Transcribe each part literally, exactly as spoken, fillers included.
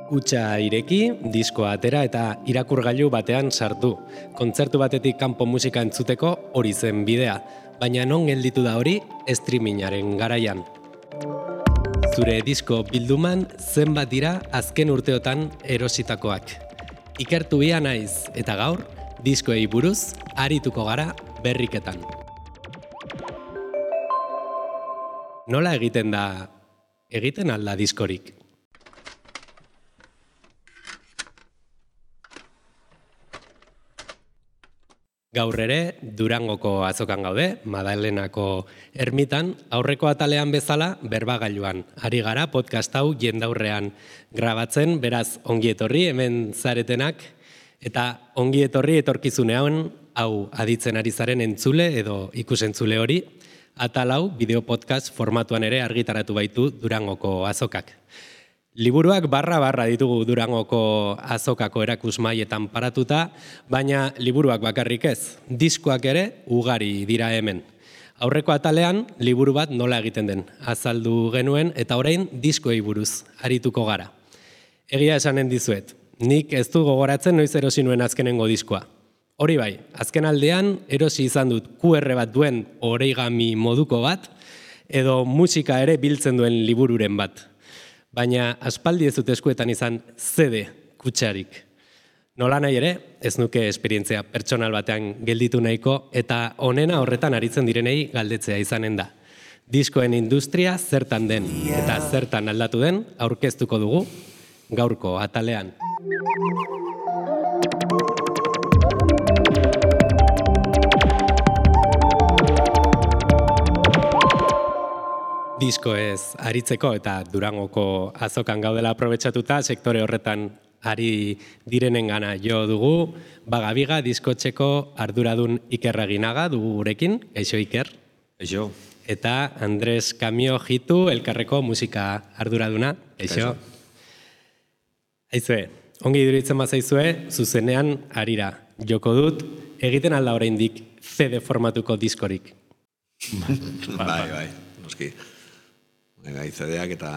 Hutsa ireki, diskoa atera eta irakurgailu batean sartu. Kontzertu batetik kanpo musika entzuteko hori zen bidea, baina non gelditu da hori streamingaren garaian. Zure disko bilduman zenbat dira azken urteotan erositakoak. Ikertu bia naiz eta gaur diskoei buruz arituko gara berriketan. Nola egiten da, egiten alda diskorik? Gaur ere, Durangoko azokan gaude, Madalenako ermitan, aurreko atalean bezala berbagailuan. Ari gara podcast hau jendaurrean grabatzen, beraz ongi etorri hemen zaretenak, eta ongi etorri etorkizunean hau aditzen ari zaren entzule edo ikusentzule hori, atal hau bideo podcast formatuan ere argitaratu baitu Durangoko azokak. Liburuak barra-barra ditugu Durangoko azokako erakusmaietan paratuta, baina liburuak bakarrik ez, diskoak ere ugari dira hemen. Aurreko atalean, liburu bat nola egiten den, azaldu genuen eta orain diskoei buruz arituko gara. Egia esanen dizuet, nik ez du gogoratzen noiz erosi nuen azkenengo diskoa. Hori bai, azken aldean erosi izan dut Q R bat duen origami moduko bat, edo musika ere biltzen duen libururen bat. Baina aspaldi ez dut eskuetan izan C D kutsarik. Nola nahi ere, ez nuke esperientzia pertsonal batean gelditu nahiko eta onena horretan aritzen direnei galdetzea izanen da. Diskoen industria zertan den eta zertan aldatu den aurkeztuko dugu gaurko atalean. Disko ez aritzeko eta Durangoko azokan gaudela aprobetxatuta sektore horretan ari direnengana jo dugu. Bagabiga diskotxeko arduradun Iker Aginaga dugu gurekin, gaixo Iker. Gaixo. Eta Andres Kamio Jitu elkarreko musika arduraduna, gaixo. Aizue, ongi iduritzen bazaizue, zuzenean arira joko dut, egiten alda oraindik C D formatuko diskorik. Bai, bai, noski. Gai C D-ak eta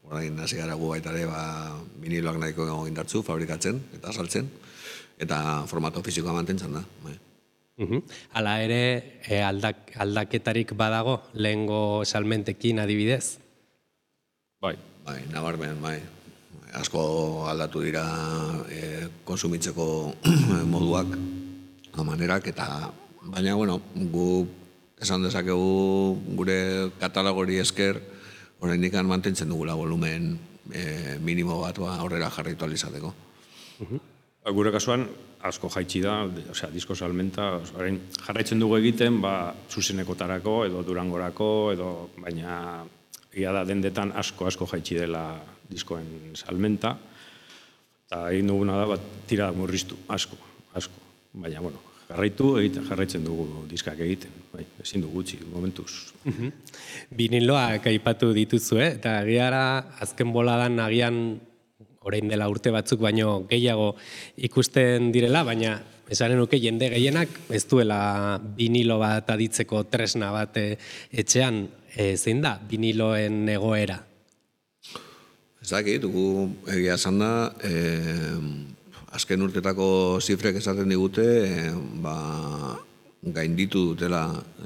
orain hasi gara gu baita ere ba, viniloak nahiko indartzu fabrikatzen eta saltzen eta formato fisikoa mantentzen da. Bai. Uh-huh. Hala ere e, aldak, aldaketarik badago lehengo salmentekin adibidez? Bai. Bai, nabarmen, bai. Asko aldatu dira e, konsumitzeko moduak, manerak eta baina bueno, gu esan dezakegu gure katalogori esker oraindik mantentzen dugula volumen e, minimo bat aurrera jarraitu ahal izateko. Uh-huh. Gure kasuan asko jaitsi da, osea, disko salmenta, orain jarraitzen dugu egiten, ba, zuzenekotarako edo Durangorako edo baina egia da dendetan asko asko jaitsi dela diskoen salmenta. Eta egin duguna da bat tira murriztu, asko, asko. Baina bueno, jarraitu egiten, jarraitzen dugu diskak egiten, bai, ezin dugu gutxi, momentuz. Uh-huh. Biniloak aipatu dituzue, eta agiara azken boladan agian orain dela urte batzuk baino gehiago ikusten direla, baina esanen nuke jende gehienak ez duela vinilo bat aditzeko tresna bat etxean, e, zein da viniloen egoera? Ez dakit, dugu egia esan da, e, azken urtetako zifrek esaten digute, eh, ba, gainditu dutela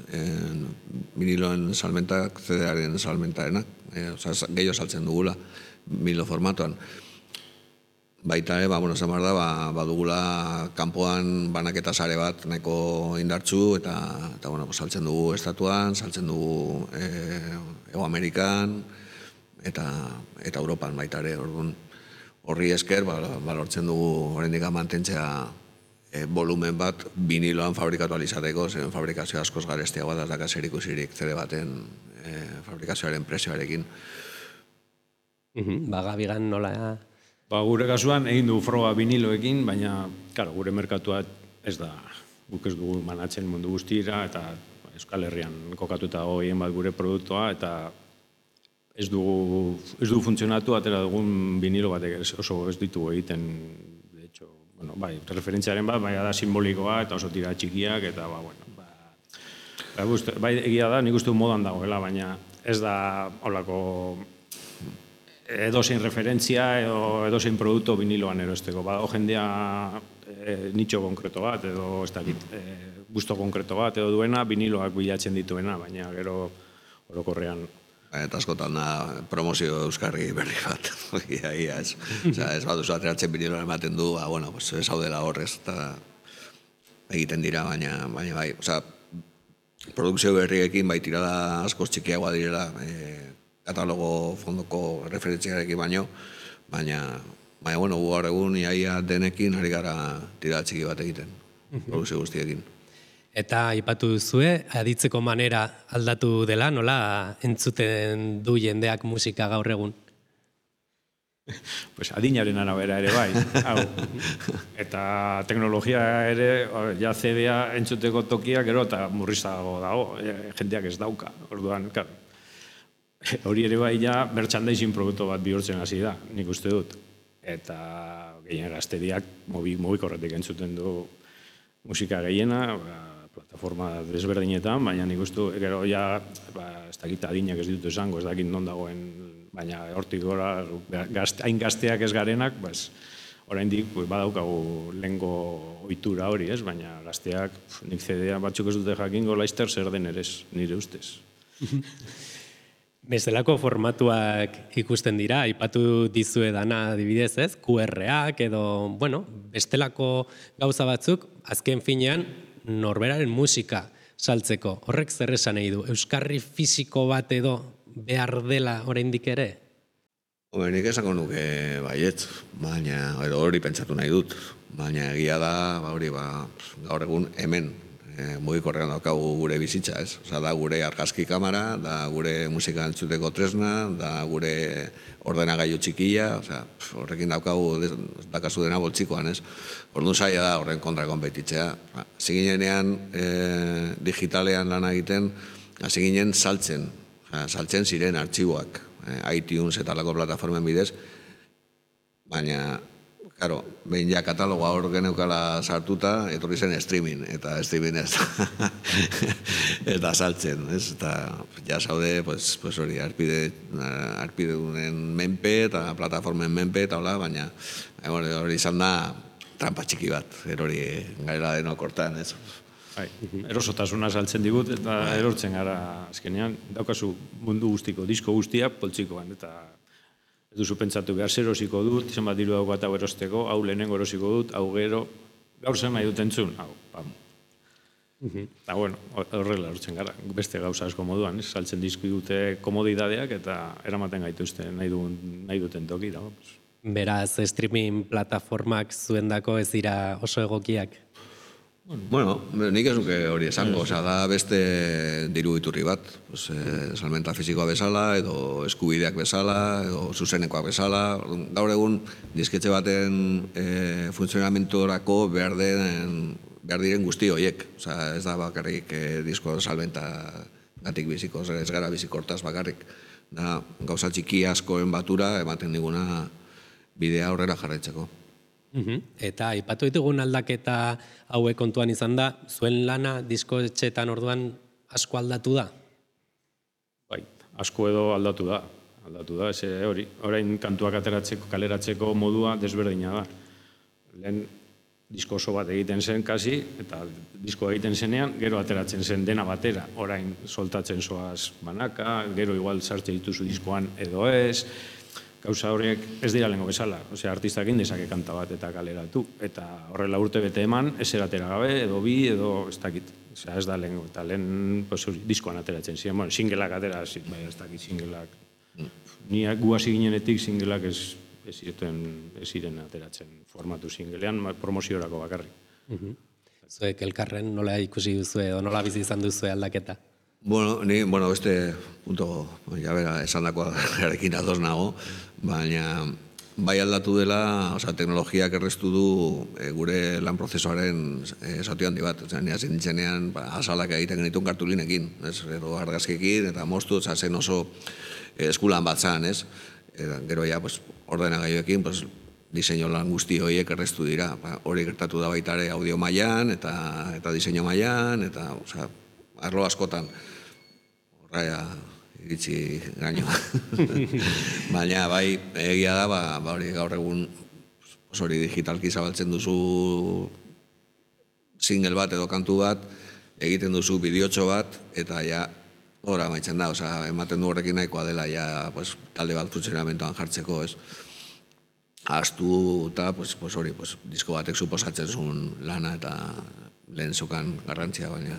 eh, viniloen salmentak, C D-aren salmentarenak, eh, oza, gehiago saltzen dugula vinilo formatuan. Baita, eh, ba, bueno, zamar da, ba, badugula kanpoan banaketa sare bat nahiko indartzu, eta, eta bueno, saltzen dugu estatuan, saltzen dugu eh, Ego Amerikan, eta, eta Europan baita ere, orduan. Horri esker, balortzen dugu oraindik mantentzea e, volumen bat viniloan fabrikatu alizateko, zen fabrikazio askoz garestiagoa da daka zerikusirik C D baten e, fabrikazioaren prezioarekin. Uh-huh. Bagabigan nola? Ba, gure kasuan egin du froga viniloekin, baina claro, gure merkatua ez da, guk ez dugu manatzen mundu guztira, eta Euskal Herrian kokatuta goien bat gure produktua, eta Ez dugu, ez dugu funtzionatu, atera dugun vinilo batek oso ez ditugu egiten, de hecho, bueno, bai, referentziaren bat, bai, da simbolikoa, eta oso tira txikiak, eta, ba, bueno, ba, ba, bai, egia da, nik uste du modan dagoela, baina ez da, holako, edozein referentzia edo edozein produktu viniloan erosteko. Badago jendea e, nitxo konkreto bat edo ez dakit, e, gusto konkreto bat edo duena viniloak bilatzen dituena, baina gero orokorrean. Eta askotan da promozio euskarri berri bat. Ia, ia, ez. Osea, ez baduzu ateratzen viniloan ematen du, ba, bueno, pues, ez hau dela horrez, eta egiten dira, baina, baina bai, osea, produkzio berriekin bai tirada askoz txikiagoa direla, e, katalogo fondoko referentziarekin baino, baina, baina, bueno, gu gaur egun iaia denekin ari gara tirada txiki bat egiten, produkzio guztiekin. Eta aipatu duzue, aditzeko manera aldatu dela, nola entzuten du jendeak musika gaur egun? Pues adinaren arabera ere bai, hau. Eta teknologia ere, ja C D-a entzuteko tokia gero eta murrizago dago, jendeak ez dauka, orduan, claro. Hori ere bai ja merchandising produktu bat bihurtzen hasi da, nik uste dut. Eta gehien gazteriak mugikorretik entzuten du musika gehiena, ba, plataforma desberdinetan, baina nik uste gero ja, ba, ez dakit adinak ez ditut esango, ez dakit non dagoen, baina hortik gora, gazte, hain gazteak ez garenak, bas, oraindik pues, badaukagu lehengo ohitura hori, ez? Baina gazteak, nik C D-a batzuk ez dute jakingo laizter zer den ere ez, nire ustez. Bestelako formatuak ikusten dira, aipatu dizue dana adibidez, ez? Q R-ak edo, bueno, bestelako gauza batzuk, azken finean, norberaren musika saltzeko. Horrek zer esan nahi du? Euskarri fisiko bat edo behar dela oraindik ere? Hore, nik esango nuke baietz, baina, edo hori pentsatu nahi dut, baina egia da, ba, hori, ba, gaur egun hemen, e, mugikorrean daukagu gure bizitza, ez? Osa, da gure argazki kamera, da gure musika entzuteko tresna, da gure ordenagailu txikia, osea, horrekin daukagu dakazu dena boltsikoan, ez? Orduan zaila da horren kontra konpetitzea. Hasi ginenean e, digitalean lan egiten, hasi ginen saltzen, saltzen ziren artxiboak, e, iTunes eta lako plataformen bidez, baina, claro, behin ja katalogoa hor geneukala sartuta, etorri zen streaming, eta streaming ez eta saltzen, ez? Eta ja zaude, pues, pues hori, arpide, arpidedunen menpe eta plataformen menpe eta hola, baina hori izan da trampa txiki bat, hori gaira denok hortan, ez? Bai, erosotasuna saltzen digut eta erortzen gara azkenean, daukazu mundu guztiko, disko guztia poltsikoan, eta ez duzu pentsatu behar zer erosiko dut, zenbat diru daukat hau erosteko, hau lehenengo erosiko dut, hau gero, gaur zen nahi dut entzun, hau, pam. Eta, bueno, horrela erortzen gara, beste gauza asko moduan, saltzen dizki dute komodidadeak eta eramaten gaituzte nahi, du, nahi duten toki, dago. Beraz, streaming plataformak zuendako ez dira oso egokiak? Bueno, nik ez nuke hori esango, osea, da beste diru iturri bat, pues, eh, salmenta fisikoa bezala, edo eskubideak bezala, edo zuzenekoak bezala. Gaur egun, disketxe baten eh, funtzionamentorako behar, den, behar diren guzti horiek. Osea, ez da bakarrik eh, disko salmenta gatik biziko, ez gara bizikortaz bakarrik. Da, gauza txiki askoen batura ematen diguna bidea aurrera jarraitzeko. Eta aipatu ditugun aldaketa hauek kontuan izan da, zuen lana diskoetxeetan orduan asko aldatu da? Bai, asko edo aldatu da. Aldatu da, ez hori. Orain kantuak ateratzeko, kaleratzeko modua desberdina da. Lehen disko oso bat egiten zen kasi, eta disko egiten zenean, gero ateratzen zen dena batera. Orain soltatzen zoaz banaka, gero igual sartze dituzu diskoan edo ez. Gauza horiek ez dira lehenko bezala, osea, artistak indezake kanta bat eta kaleratu, eta horrela urte bete eman, ez eratera gabe, edo bi, edo ez dakit, osea, ez da lehenko, eta lehen, pues, diskoan ateratzen ziren, bueno, singelak atera, bai, ez dakit, singelak, ni gu hasi ginenetik singelak ez, ez ziren, ez ziren ateratzen formatu singelean, promoziorako bakarrik. Zuek elkarren nola ikusi duzue, edo nola bizi izan duzue aldaketa? Bueno, ni, bueno, beste punto, ja bera, esan dakoa garekin ados nago, baina bai aldatu dela, osea, teknologiak erreztu du e, gure lan prozesuaren e, zati handi bat. Osea, nire zintzenean, ba, azalak egiten genituen kartulinekin, ez? Gero argazkekin eta moztu, oza, zen oso e, eskulan bat zan, ez? Eta, gero ja, pues, ordenagailuekin, pues, diseinu lan guzti horiek erreztu dira. Ba, hori gertatu da baita ere audio mailan eta, eta diseinu mailan, eta, osea, arlo askotan. Horra, iritsi gaino. Baina, bai, egia da, ba, ba hori gaur egun hori digitalki zabaltzen duzu single bat edo kantu bat, egiten duzu bideotxo bat, eta ja, ora maitzen da, oza, ematen du horrekin nahikoa dela, ja, pues, talde bat funtzionamentoan jartzeko, ez? Ahaztu eta, pues, pues, hori, pues, disko batek suposatzen zuen lana eta lehen zokan garrantzia, baina.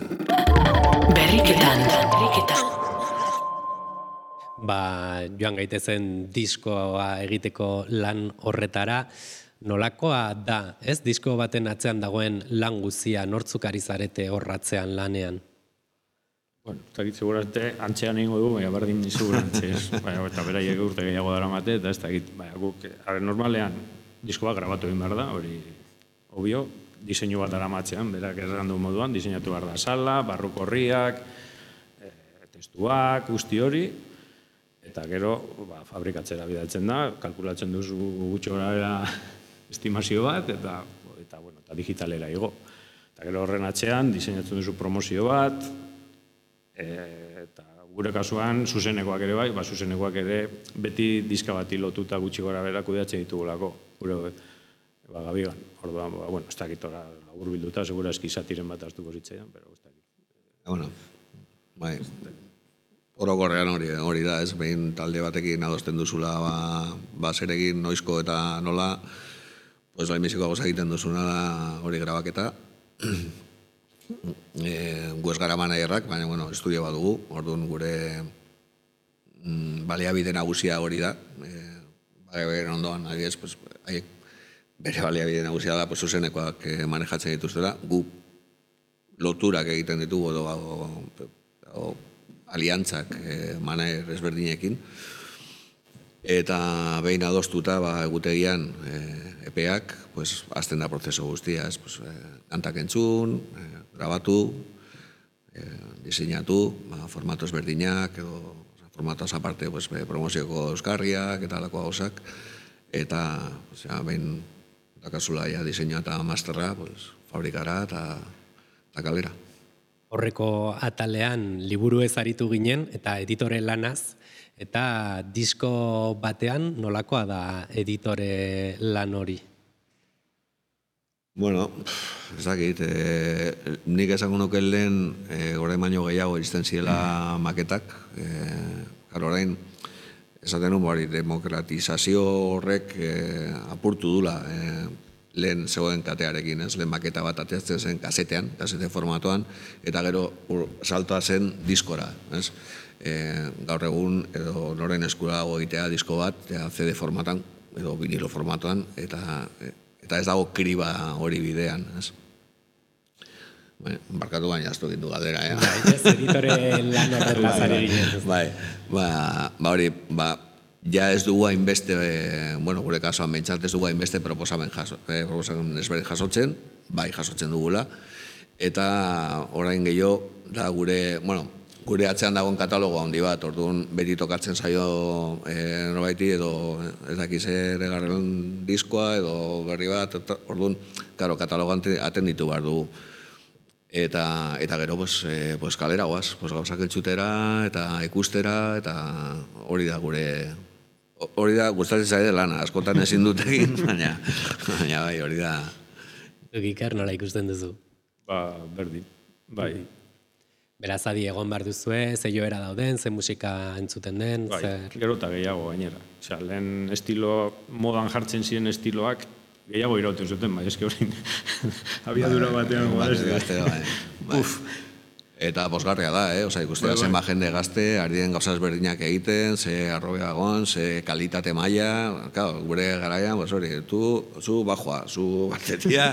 Berriketan, berriketan. Ba, joan gaitezen diskoa egiteko lan horretara, nolakoa da, ez? Disko baten atzean dagoen lan guzia, nortzuk ari zarete horratzean lanean? Bueno, ez dakit segurate antxean egingo du, baina berdin segurantze ez. Baina, eta beraiek urte gehiago dara mate, eta ez dakit, baina guk, are normalean, diskoa grabatu egin behar da, hori, obvio, diseinu bat dara matzean, berak errandu moduan, diseinatu behar da sala, barruko horriak, e, testuak, guzti hori, eta gero, ba, fabrikatzera bidaltzen da, kalkulatzen duzu gutxo gara estimazio bat, eta, eta, bueno, eta digitalera igo. Eta gero horren atzean, diseinatzen duzu promozio bat, e, eta gure kasuan, zuzenekoak ere bai, ba, zuzenekoak ere beti diska bati lotuta gutxi gora bera kudeatzen ditugulako, gure ba, gabigan. Orduan, ba, bueno, ez dakit ora labur bilduta, segura eski satiren bat hartuko zitzaidan, pero ez dakit. Bueno, bai, orokorrean hori, hori da, ez, behin talde batekin adosten duzula, ba, ba zeregin noizko eta nola, pues lehenbiziko gauza egiten duzuna da hori grabaketa. E, gu ez gara managerrak, baina, bueno, estudio bat dugu, orduan gure mm, baliabide nagusia hori da. E, baliabide ondoan, adibidez, pues, haiek bere baliabide nagusia da, pues, zuzenekoak manejatzen dituztela, gu loturak egiten ditugu, edo, o, o, aliantzak eh, manager ezberdinekin, eta behin adostuta ba, egutegian eh, epeak, pues, azten da prozeso guztia, ez, pues, eh, kantak entzun, eh, grabatu, eh, diseinatu, ba, formato ezberdinak, edo formatoaz aparte, pues, promozioko euskarriak, eta alako gauzak, eta pues, ja, behin dakazula ja, diseinua eta masterra, pues, fabrikara eta, eta kalera. Horreko atalean liburu ez aritu ginen eta editore lanaz, eta disko batean nolakoa da editore lan hori? Bueno, ez dakit, e, nik esango nuke lehen e, orain baino gehiago izten ziela maketak, e, gara orain esaten nun hori demokratizazio horrek e, apurtu dula, e, lehen zegoen katearekin, ez, lehen maketa bat ateatzen zen kasetean, kasete formatoan, eta gero ur, saltoa zen diskora, ez. E, gaur egun, edo noren eskura dago egitea disko bat, ja, C D formatan, edo vinilo formatoan, eta, eta ez dago kriba hori bidean, ez. Baina, barkatu baina aztu gindu galdera, eh? Bai, ez editore lan horretaz ari ginen. Bai, ba, ba hori, ba, ja ez dugu hainbeste, e, bueno, gure kasuan bentsat ez dugu hainbeste proposamen, jaso, eh, proposamen ezberdin jasotzen, bai jasotzen dugula, eta orain gehiago, da gure, bueno, gure atzean dagoen katalogo handi bat, orduan beti tokatzen zaio e, norbaiti edo ez dakiz ere garren diskoa edo berri bat, orduan, karo, katalogo atenditu behar dugu. Eta, eta gero, pues, eh, pues kalera guaz, pues gauzak entzutera eta ikustera, eta hori da gure, hori da gustatzen zaide lana, askotan ezin dut egin, baina, baina bai, hori da. Gikar nola ikusten duzu? Ba, berdin, bai. Beraz, adi egon behar duzue, ze joera dauden, ze musika entzuten den, bai, zer... gero eta gehiago gainera. Osea, lehen estilo, modan jartzen ziren estiloak, gehiago irauten zuten, bai, eski hori abiadura batean gazte, bai, bai. Eta posgarria da, eh? Osa, ikustea bai, zen ba jende gazte, ari den gauzaz berdinak egiten, ze arrobeagon, ze kalitate maila, claro, gure garaian, pues hori, tu, zu bajoa, zu batetia,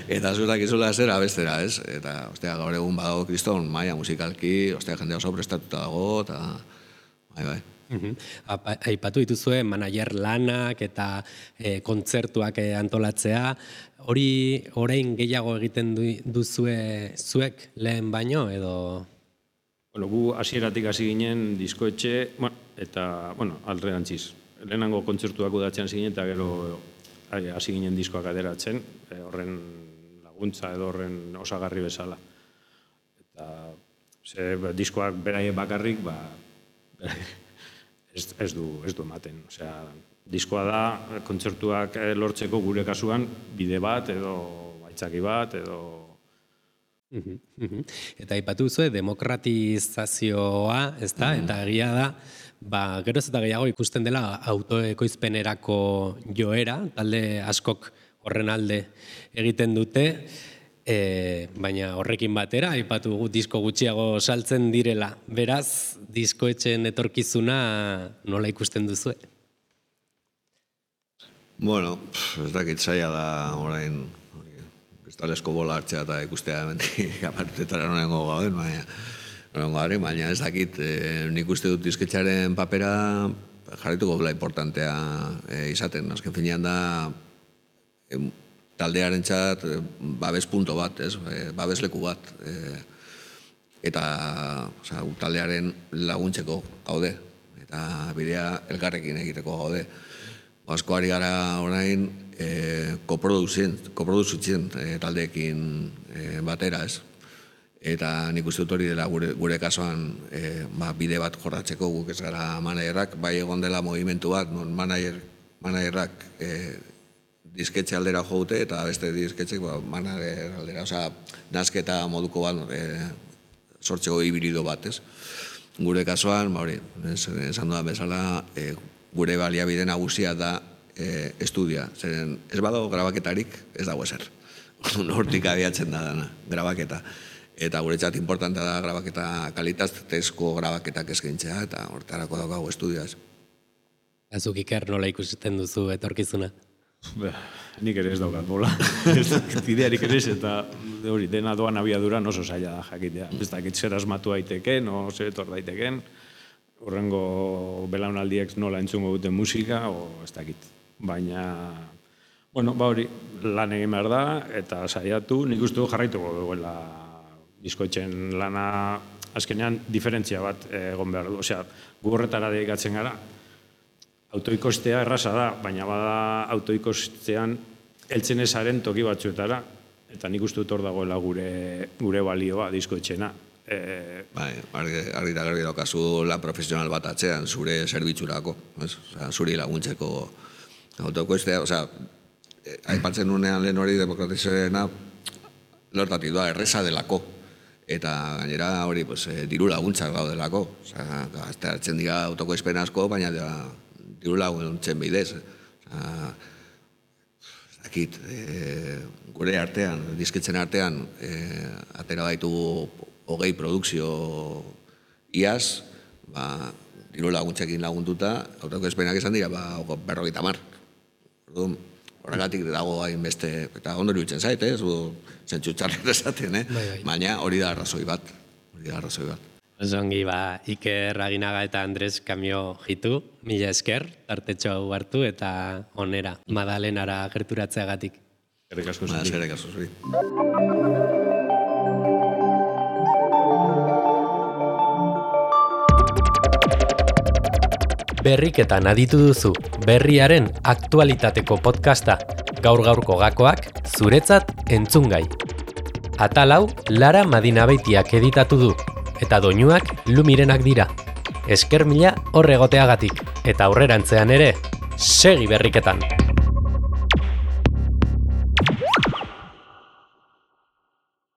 eta zurak izula zer abestera, ez? Eta, ostia, gaur egun badago kriston maila musikalki, ostia, jende oso prestatuta dago, eta, bai, bai. Uh-huh. Aipatu dituzue manager lanak eta e, kontzertuak e, antolatzea, hori orain gehiago egiten du, duzue zuek lehen baino edo? Bueno, gu hasieratik hasi ginen diskoetxe, bueno, eta, bueno, alderantziz. Lehenango kontzertuak udatzen hasi ginen eta gero hasi ginen diskoak ateratzen, e, horren laguntza edo horren osagarri bezala. Eta ze, diskoak beraie bakarrik, ba, ez, ez, du, ez du ematen. Osea, diskoa da, kontzertuak lortzeko gure kasuan bide bat edo baitzaki bat edo... Eta aipatu zuen demokratizazioa, ez da, eta egia da, ba, geroz eta gehiago ikusten dela autoekoizpenerako joera, talde askok horren alde egiten dute, e, baina horrekin batera, aipatu gu disko gutxiago saltzen direla. Beraz, diskoetxeen etorkizuna nola ikusten duzue? Bueno, ez dakit zaila da orain kristalesko bola hartzea eta ikustea hemendik apartetara nonengo gauden, baina nonengo gari, baina ez dakit, e, nik uste dut disketxaren papera jarrituko dela importantea e, izaten. Azken finean da e, taldearen txat e, babes punto bat, ez, e, babesleku bat. E, eta oza, taldearen laguntzeko gaude, eta bidea elkarrekin egiteko gaude. Asko ari gara orain e, koproduzitzen e, taldeekin e, batera, ez? Eta nik uste dut hori dela gure, gure kasuan e, ba, bide bat jorratzeko guk ez gara managerrak, bai egon dela movimentu bat, non manager, managerrak e, disketxe aldera joute eta beste disketxek ba, manager aldera, osea, nazketa moduko bat e, sortzeko hibrido bat, ez? Gure kasuan, ba hori, esan dudan bezala, e, gure baliabide nagusia da e, estudia. Zeren ez badago grabaketarik, ez dago ezer. Hortik abiatzen da dana, grabaketa. Eta guretzat importantea da grabaketa, kalitatezko grabaketak eskaintzea, eta hortarako daukagu estudioaz. Azuk Iker nola ikusten duzu etorkizuna? Be, nik ere ez daukat bola. Ez dakit idearik ere ez, eta hori, dena doan abiaduran oso zaila da jakitea. Ez dakit zer asmatu daiteken, o zer etor daiteken, horrengo belaunaldiek nola entzungo duten musika, o ez dakit. Baina, bueno, ba hori, lan egin behar da, eta saiatu, nik uste du jarraituko duela diskoetxen lana, azkenean diferentzia bat egon behar du. Osea, gu horretara dedikatzen gara, autoikostea erraza da, baina bada autoikostean heltzen ezaren toki batzuetara, eta nik uste dut hor dagoela gure, gure balioa diskoetxena. E... Bai, argi da garbi daukazu lan profesional bat atzean, zure zerbitzurako, osea, zuri laguntzeko autoikostea, osea, aipatzen nunean lehen hori demokratizarena lortatik doa, erreza delako. Eta gainera hori, pues, diru laguntzak daudelako. Osea, gazteatzen dira autokoizpen asko, baina da, diru laguntzen bidez. Osea, ez dakit, e, gure artean, dizketzen artean, e, atera baitugu hogei produkzio iaz, ba, diru laguntzekin lagunduta, autokoizpenak esan dira, ba, berrogeita hamar. Horregatik dago hain beste, eta ondo iruditzen zait, ez, zentsu txarret esaten, eh? Baina hori da arrazoi bat, hori da arrazoi bat. Osongi, ba, Iker Aginaga eta Andres Kamio jitu, mila esker, tartetxo hau hartu eta onera, Madalenara gerturatzeagatik. Eskerrik asko zuri. Eskerrik asko zuri. Berriketan aditu duzu, berriaren aktualitateko podcasta, gaur-gaurko gakoak, zuretzat entzungai. Atal hau, Lara Madinabeitiak editatu du, eta doinuak Lumirenak dira. Esker mila hor egoteagatik, eta aurrerantzean ere, segi berriketan!